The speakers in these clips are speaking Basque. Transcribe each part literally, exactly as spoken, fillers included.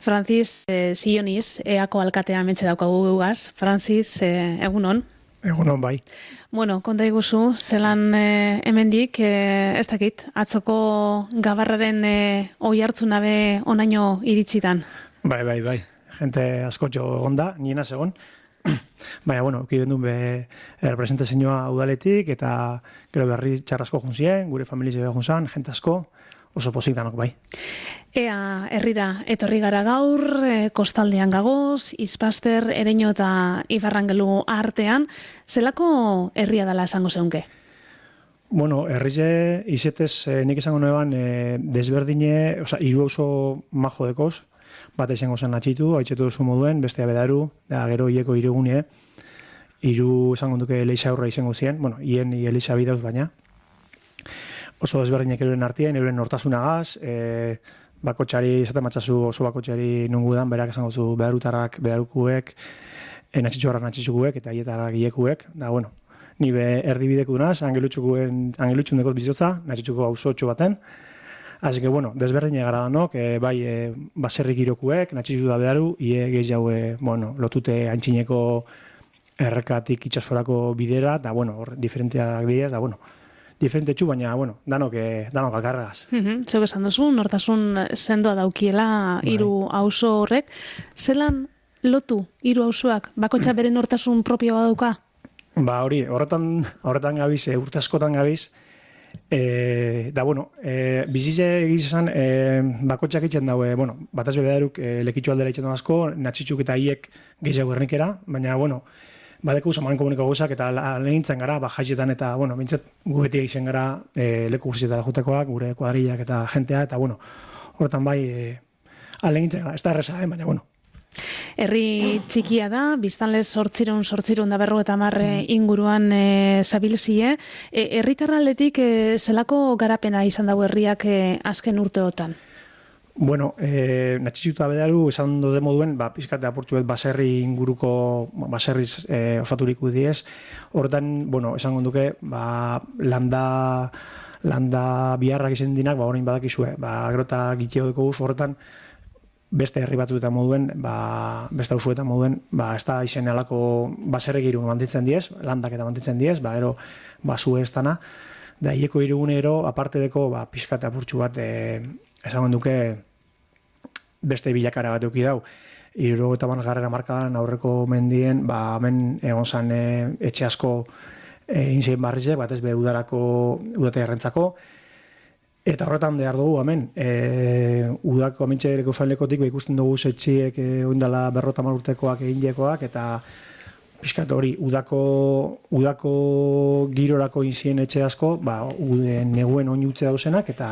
Francis eh, Sioniz, eako alkatea mentxe daukagu gugaz. Francis, eh, egunon. Egunon, bai. Bueno, konta iguzu, zelan eh, hemendik, eh, ez dakit, atzoko gabarraren eh, oi hartzunabe onaino iritsitan. Bai, bai, bai. Gente askotxo egon da, niena segon. Baina, bueno, ukiden duen be representazioa udaletik, eta gero berri txarrasko junzien, gure familizia junzan, gente asko, oso pozik danok, bai. Ea, herrira, etorri gara gaur, e, kostaldean gagoz, Izpaster, Ereño eta Ibarrangelu artean, zelako herria dela esango zeunke? Bueno, herrize, izetez, eh, nik esango noeban, eh, desberdine, oza, hiru oso majo dekoz, bat esango zen atxitu, haitzetu duzu moduen, bestea bedaru, da, gero hieko irugune, hiru esango duke Elisa aurra izango zien, bueno, hien Elisa bidauz baina, oso desberdinek euren artien, euren nortasunagaz, e, bakotxari, esaten matzazu oso bakotxari nungudan, berak esango zu bedarutarrak, bedarukuek, e, natxitxuarrak natxitxukuek, eta hietarrak hiekuek, da, bueno, ni be erdibideku dunaz, angelutxukuen, angelutxun dekot bizotza, natxitxuko auzotxo baten, así que, bueno, desberdine gara danok, e, bai, e, baserrik irokuek, natxitxu da bedaru, ie gehiago, e, bueno, lotute antxineko errekatik itxasorako bidera, da, bueno, hor, diferenteak dira, da, bueno, diferente txu, baina, bueno, danok, eh, danok alkarregaz. Mm-hmm. Zeu esan duzu, nortasun sendoa daukiela hiru auzo horrek. Zelan lotu hiru auzoak? Bakotxa bere nortasun propioa dauka? Ba, hori, horretan, horretan gabiz, e, urte askotan gabiz, e, da, bueno, e, bizize egizan, e, bakotxak itxen daue, bueno, bataz bebedaruk e, lekitxu aldera itxen asko, natxitxuk eta hiek gehiago ernikera, baina, bueno, badeko usaman komuniko gauzak eta lehintzen gara, ba, jaitxetan eta, bueno, bintzat gu beti egiten gara e, leku guztietara jutekoak, gure kuadrillak eta jentea, eta, bueno, horretan bai, e, alegintzen gara, ez da erresa, eh? Baina, bueno. Herri txikia da, biztanlez sortzirun, sortzirun da berro eta marre inguruan e, zabilzie. E, herritarraldetik e, zelako garapena izan dago herriak e, azken urteotan? Bueno, eh, natxitxuta bedaru, esan dode moduen, ba, pizkate apurtxuet baserri inguruko, baserriz eh, osaturik udiez. Horretan, bueno, esan gonduke, ba, landa, landa biharrak izan dinak, ba, orain badakizue, ba, grota gitxeo deko guz, horretan, beste herri batzuetan moduen, ba, beste auzuetan moduen, ba, ez da izen alako baserrek irun mantitzen diez, landak eta mantitzen diez, ba, ero, ba, zue ez dana, da, hieko irugunero, aparte deko, ba, pizkate apurtxu bat, eh, esan duke beste bilakara bat euki dau. Iruro eta ban garrera markadan aurreko mendien, ba, hemen egon zan e, etxe asko e, inzien barrize, bat ez be udarako, udate errentzako. Eta horretan behar dugu, hemen, e, udako amintxe ereko usain lekotik, ba, ikusten dugu etxiek e, oindala berrota marurtekoak egin jekoak, eta pixkat hori, udako, udako girorako inzien etxe asko, ba, ude, neguen oinutze dauzenak, eta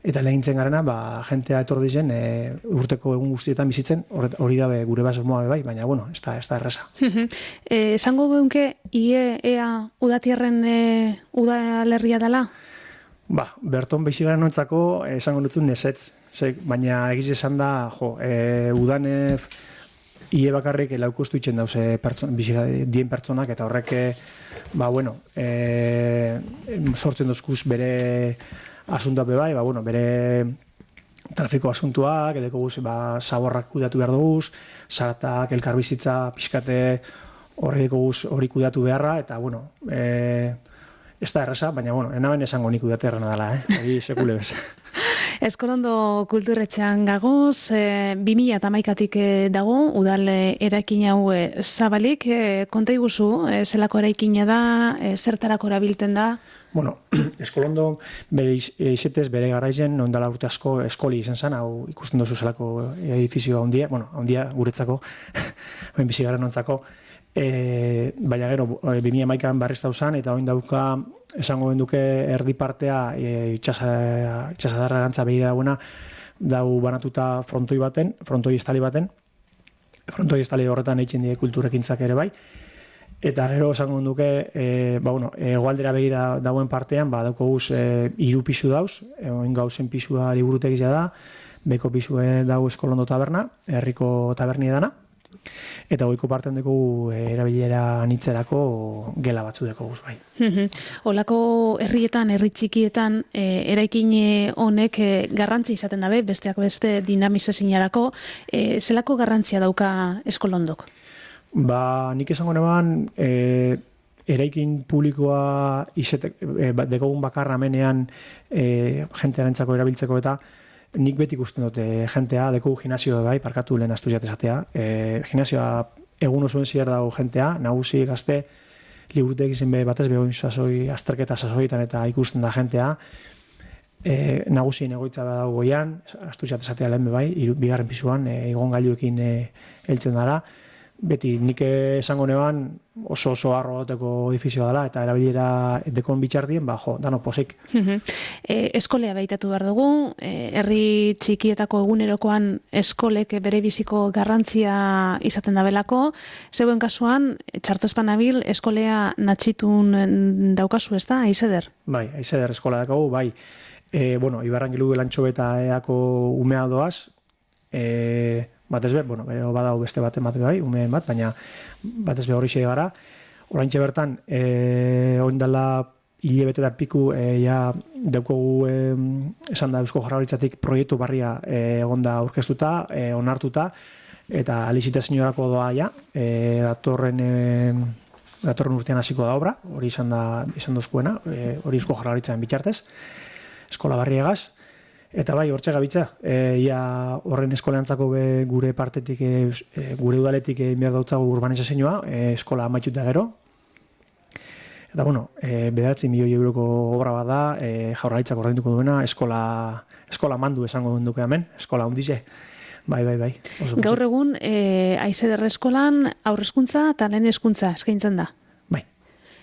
Eta lehintzen garena, ba, jentea etor dizen, e, urteko egun guztietan bizitzen, hori dabe gure basmoa bai, baina, bueno, ez da, ez da erresa. e, esango geunke, ie, ea, udatiarren e, udalerria dela? Ba, berton behizi garen nontzako, esango dutzen nesetz, baina egiz esan da, jo, e, udan e, ie bakarrik laukustu itxen dauze pertson, bizi dien pertsonak, eta horrek, ba, bueno, e, sortzen dozkuz bere asuntua bai, ba, bueno, bere trafiko asuntuak, edeko guz, ba, zaborrak kudatu behar duguz, zaratak, elkarbizitza, pixkate horri deko guz hori kudatu beharra, eta, bueno, e, ez da erresa, baina, bueno, enaben esango nik kudate errena dela, eh? Hori sekule bez. Eskolondo kulturretxean gagoz, e, bi mila eta hamaikatik dago, udal eraikin hau e, zabalik, e, konta iguzu, e, zelako eraikina da, e, zertarako erabilten da? Bueno, Eskolondo bere izetez, bere garaizen, ondala urte asko eskoli izan zen, hau ikusten duzu zelako edifizioa ondia, bueno, ondia guretzako, oin bizi garen ontzako, e, baina gero, bi mila hamaikan barrizta uzan, eta oin dauka, esango benduke erdi partea, e, itxasadarra erantza behira dagoena, dau banatuta frontoi baten, frontoi estali baten, frontoi estali horretan eitzen die kulturekintzak ere bai, eta gero esango duke, e, ba, bueno, egoaldera begira dauen partean, ba, dauko guz, e, iru pisu dauz, oin gauzen pisua liburutegia da, beko pisue dau Eskolondo taberna, herriko tabernia dana, Eta goiko parten dugu erabilera anitzerako gela batzu dugu guz bai. Olako herrietan, herri txikietan, e, eraikin honek e, garrantzi izaten dabe, besteak beste dinamizazinarako, e, zelako garrantzia dauka eskolondok? Ba, nik esango neban, e, eraikin publikoa izetek, e, dekogun bakarra menean e, jentearentzako erabiltzeko eta nik beti ikusten dute jentea, dekogu gimnasio bai, parkatu lehen astu jatezatea. E, gimnasioa egun osoen zier dago jentea, nagusi gazte, liburutek izen be batez behoin sasoi, azterketa sasoietan eta ikusten da jentea. E, nagusien egoitza dago goian, astu jatezatea lehen be bai, iru, bigarren pisuan, e, igon gailuekin e, heltzen dara. Beti nik esango neban oso oso arro goteko edifizioa dela eta erabilera dekon bitxardien, ba, jo, dano posik. e, eskolea behitatu behar dugu, e, herri txikietako egunerokoan eskolek bere biziko garrantzia izaten dabelako, zeuen kasuan, txartozpanabil eskolea natxitun daukazu ez da, aizeder? Bai, aizeder eskola dakagu, bai. E, bueno, Ibarrangilu elantxo eta eako umea doaz, e, batez be, bueno, bero badau beste bat emate bai, umeen bat, baina batez be hori xe gara. Oraintxe bertan, e, oindala hilebete da piku, e, ja, daukogu e, esan da Eusko Jaurlaritzatik proiektu barria e, egonda aurkeztuta, e, onartuta, eta alizitazioarako doa ja, e, datorren, e, datorren urtean hasiko da obra, hori izan da izan dozkuena, e, hori Eusko Jaurlaritzaren bitxartez, eskola barriegaz. Eta bai, hortxe gabitza, e, ia horren eskoleantzako be gure partetik, e, gure udaletik egin behar dautzagu urbanizazioa, e, eskola amaitut da gero. Eta bueno, e, bederatzi milioi euroko obra bat da, e, Jaurlaritzak ordainduko duena, eskola, eskola mandu esango duke hemen, eskola hundize. Bai, bai, bai. Oso Gaur egun, e, aizeder eskolan aurrezkuntza eta lehen hezkuntza eskaintzen da. Bai.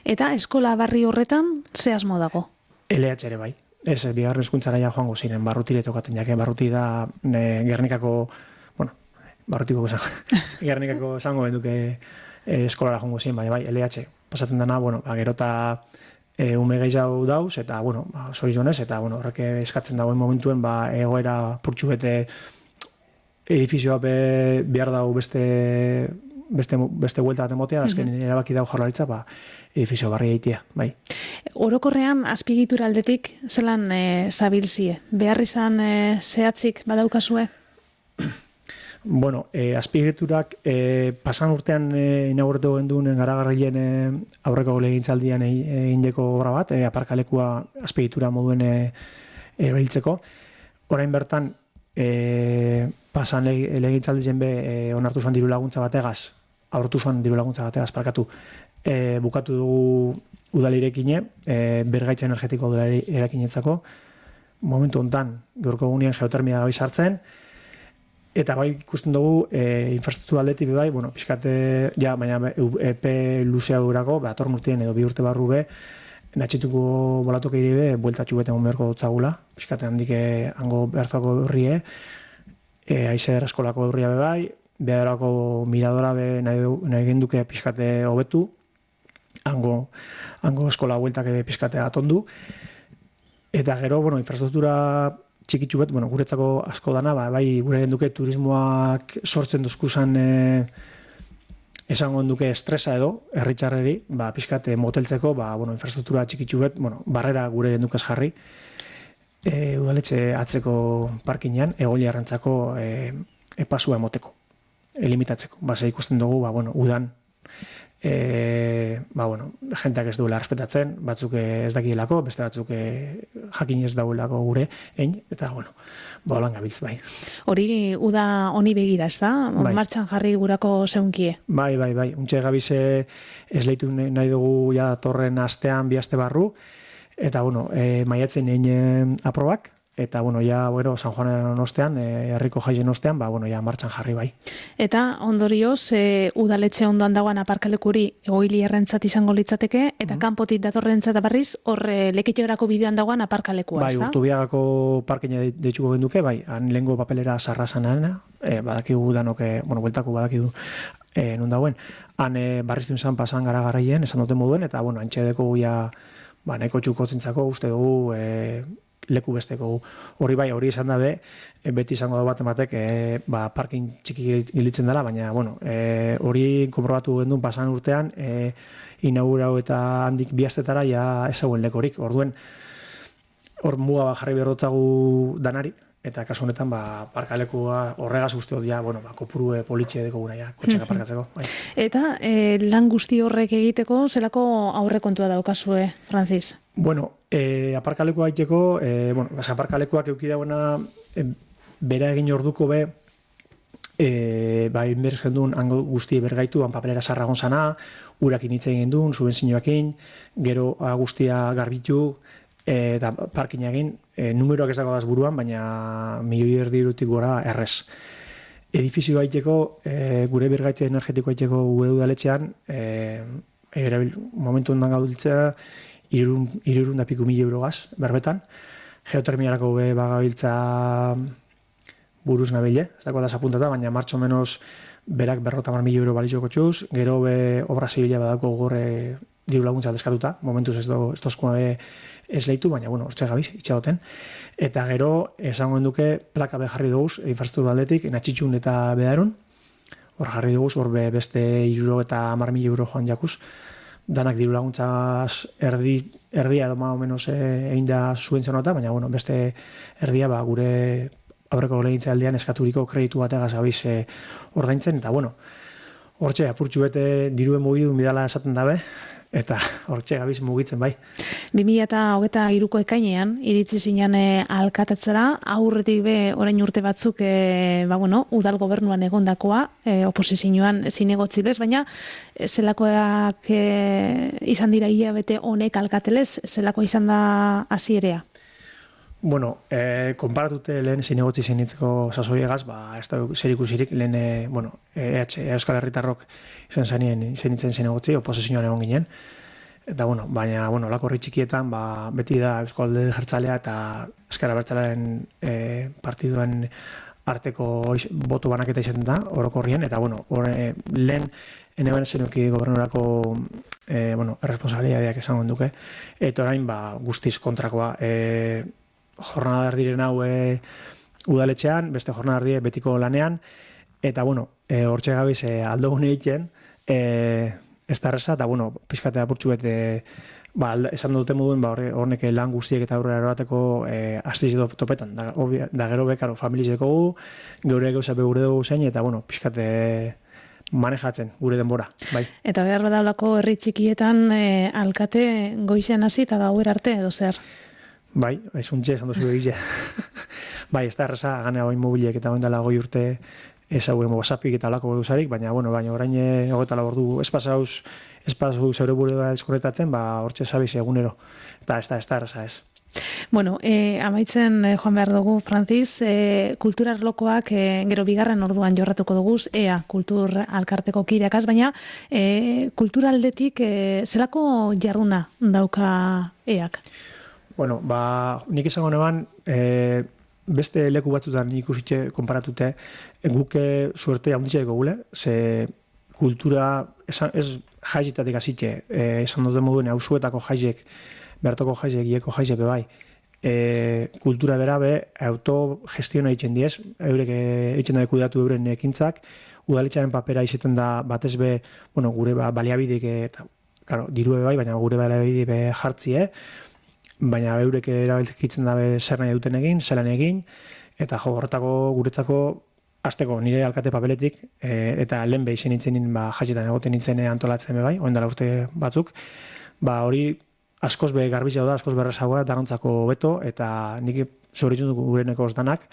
Eta eskola barri horretan ze asmo dago? L H ere bai. Ez, bigarren hezkuntzara ja joango ziren, barrutire tokaten jake, barruti da ne, Gernikako, bueno, barrutiko esan, Gernikako esango benduke e, eskolara joango ziren, bai, bai, L H pasatzen dana, bueno, ba, gerota e, ume gehiago dauz, eta, bueno, ba, zorizonez, eta, bueno, horrek eskatzen dagoen momentuen, ba, egoera purtsu bete edifizioa be, behar dago beste, beste, beste huelta bat emotea, azken mm-hmm. erabaki dago Jaurlaritza, ba, edifizio barri egitea, bai. Orokorrean, azpigitura aldetik, zelan e, zabilzie? Behar izan e, zehatzik badaukazue? Bueno, e, azpigiturak e, pasan urtean e, inauguratu genduen garagarrien e, aurreko legintzaldian egin e, deko obra bat, e, aparkalekua azpigitura moduen e, erabiltzeko. Orain bertan, e, pasan legintzaldien be e, onartu zuen diru laguntza bategaz, aurretu zuen diru laguntza bategaz, parkatu, e, bukatu dugu udalirekine, e, bergaitza energetiko udalirekinetzako, momentu hontan gaurko egunean geotermia gabiz hartzen, eta bai ikusten dugu e, infrastruktura aldetik bai, bueno, pixkate, ja, baina epe luzea durako, ba, urtean edo bi urte barru be, natxituko bolatuko iribe, bueltatxu beten beharko dutzagula, pixkate handike hango behartzako horrie, e, aizer eskolako horria be bai, beharako miradora be nahi, nahi genduke pixkate hobetu, hango, hango eskola bueltak ebe pixkate atondu, eta gero, bueno, infrastruktura txikitsu bet, bueno, guretzako asko dana, ba, bai, gure genduke turismoak sortzen duzkuzan e, esango duke estresa edo, herritxarreri, ba, pixkate moteltzeko, ba, bueno, infrastruktura txikitsu bet, bueno, barrera gure gendukaz jarri, e, udaletxe atzeko parkinean, egoli arrantzako e, epasua emoteko, elimitatzeko. Ba, ze ikusten dugu, ba, bueno, udan, e, ba, bueno, jenteak ez duela respetatzen, batzuk ez dakielako, beste batzuk jakin ez dauelako gure, ein, eta, bueno, ba, holan gabiltz, bai. Hori uda honi begira, ez da? Bai. Martxan jarri gurako zeunkie. Bai, bai, bai. Untxe gabize esleitu nahi dugu ja torren astean bi aste barru, eta, bueno, e, maiatzen egin aprobak, eta, bueno, ja, bueno, San Juanen ostean, e, herriko jaien ostean, ba, bueno, ja, martxan jarri bai. Eta, ondorioz, e, udaletxe ondoan dagoan aparkalekuri egoili errentzat izango litzateke, eta mm-hmm. kanpotik datorrentzat berriz, horre leketiorako bidean dagoan aparkalekua, bai, ez da? Bai, Urtubiagako parkeina deitzuko genduke, bai, han lehengo papelera sarrazanana, e, badakigu danoke, bueno, bueltako badakigu e, non dagoen, han e, barriztun zan pasan gara garraien, esan duten moduen, eta, bueno, antxe deko ja, ba, neko txuko zentzako, uste dugu, e, leku besteko hori bai, hori izan dabe, beti izango da bat ematek, e, ba, parkin txiki gilitzen dela, baina, bueno, e, hori konprobatu gendun pasan urtean, e, inaugurau eta handik bihaztetara ja ezauen lekorik, orduen, hor muga jarri berrotzagu danari, eta kasu honetan, ba, parkalekua horregaz uste hori, bueno, ba, kopuru politxe dekoguna, ja, kotxeka parkatzeko. Bai. Eta e, lan guzti horrek egiteko, zelako aurrekontua daukazue, Francis? Bueno, e, aparkalekua egiteko, e, bueno, bas, aparkalekuak euki dagoena, e, bera egin orduko be, e, ba, inbertzen duen, hango guzti bergaitu, han papelera sarragon zana, urakin hitz egin duen, subenzioakin, gero guztia garbitu, eta parkin egin, e, numeroak ez dago daz buruan, baina milioi erdi irutik gora errez. Edifizio gaiteko, e, gure bergaitze energetiko gaiteko gure udaletxean, e, erabil, momentu ondan gaudiltzea, irurun da piku mila eurogaz, berbetan. Geotermiarako be bagabiltza buruz nabile, ez dago daz apuntata, baina martxo menos berak berrota mar mila euro balizoko txuz, gero be obra zibila badako gore diru laguntza deskatuta, momentuz ez dozkoa be ez lehitu, baina, bueno, hortxe gabiz, itxagoten. Eta gero, esango duke, plaka be jarri duguz, infrastruktura aldetik, natxitxun eta bedarun, hor jarri duguz, hor be beste iruro eta mar mila euro joan jakuz, danak diru laguntzaz erdi, erdia edo ma o menos egin da zuen zenota, baina, bueno, beste erdia, ba, gure aurreko legintza aldean eskaturiko kreditu bategaz gabiz e, ordaintzen, eta, bueno, hortxe, apurtxu bete diruen mugidun bidala esaten dabe, eta hortxe gabiz mugitzen bai. bi mila hogeita hiruko ekainean, iritzi zinean e, alkatetzera, aurretik be orain urte batzuk e, ba, bueno, udal gobernuan egondakoa, e, oposizioan zinegotzilez, baina e, zelakoak e, izan dira hilabete honek alkatelez, zelakoa izan da hasierea? Bueno, eh, konparatute lehen zinegotzi zenitzeko sasoiegaz, ba, ez da zer ikusirik, lehen, eh, bueno, E H, Euskal Herritarrok izan zanien zenitzen zinegotzi, oposizioan egon ginen. Eta, bueno, baina, bueno, lako horri txikietan, ba, beti da Euskal Alderdi Jeltzalea eta Ezker Abertzalearen eh, partiduen arteko boto banaketa izaten da, orokorrien, eta, bueno, hori lehen, ene bene zenuki gobernurako eh, bueno, erresponsabilidadeak esango duke, eta orain, ba, guztiz kontrakoa, eh, jornada erdiren hau e, udaletxean, beste jornada erdie betiko lanean, eta, bueno, e, hortxe gabiz e, aldo gune egiten, e, ez da erreza, eta, bueno, pizkatea apurtxu bete, ba, esan dute moduen, ba, hornek lan guztiek eta aurrera eroateko e, astiz topetan, da, obvia, da gero bekaro, familizeko gu, geure gauza begure dugu zein, eta, bueno, pizkate manejatzen gure denbora, bai. Eta behar badaulako herri txikietan e, alkate goizean hasi eta gauer arte edo zer? Bai, ez untxe, esan duzu egitea. Bai, ez da erraza, ganea oin mobiliek eta oin dela goi urte ez hauen WhatsAppik eta olako duzarik, baina, bueno, baina orain hogeta labordu espazauz, espazauz zeure buru da deskonektatzen, ba, hortxe zabiz egunero. Eta ez da, ez da erraza ez. Bueno, eh, amaitzen eh, joan behar dugu, Francis, eh, kultura arlokoak eh, gero bigarren orduan jorratuko duguz, ea, kultur alkarteko kideakaz, baina eh, kultura aldetik eh, zelako jarduna dauka eak? Bueno, ba, nik esango neban, e, beste leku batzutan ikusitxe konparatute, guke suerte haunditxe dugu gule, ze kultura, esan, ez jaizitatik azitxe, e, esan dute moduen, hausuetako jaizek, bertoko jaizek, ieko jaizek bebai, e, kultura bera be, autogestiona egiten diez, eurek egiten da kudatu euren ekintzak, udaletxaren papera izeten da batez be, bueno, gure ba, baliabidik, eta, claro, diru bai, baina gure baliabidik be jartzie, baina eurek erabiltzen dabe zer nahi duten egin, zelan egin, eta jo, horretako guretzako azteko nire alkate papeletik, e, eta lehen behin nintzen ba, jatxetan egoten nintzen antolatzen bai, oen dela urte batzuk, ba hori askoz be garbizia da, askoz berrezagoa, danontzako beto, eta nik zoritzen dugu gureneko danak,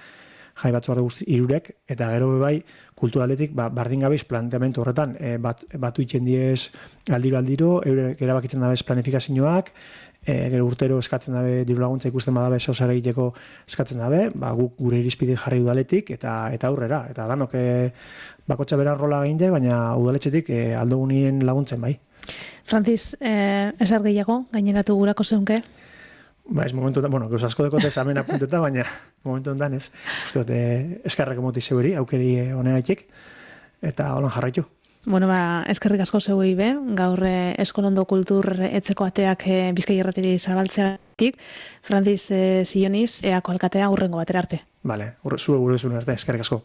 jai batzu hartu guzti irurek, eta gero bai kulturaletik ba, bardin gabiz planteamentu horretan, e, bat, batu itxen diez aldiro-aldiro, eurek erabakitzen dabez planifikazioak, e, gero urtero eskatzen dabe diru laguntza ikusten badabe zauzara egiteko eskatzen dabe, ba, guk gure irizpide jarri udaletik eta eta aurrera, eta danok e, bakotxa bera rola egin baina udaletxetik e, aldogunien laguntzen bai. Francis, eh, ezer gehiago, gaineratu gurako zeunke? Ba, ez momentu, bueno, gauz asko dekote zamen apunteta, baina momentu ondan ez. Uste dut, eskarreko moti zeuri, aukeri honenaitik, eta holan jarraitu. Bueno, ba, eskerrik asko zeuei be, gaur eh, Eskolondo kultur etzeko ateak eh, Bizkai Irratiri zabaltzeatik, Francis eh, Zioniz, eako alkatea urrengo batera arte. Vale, zure gure zuen arte, eskerrik asko.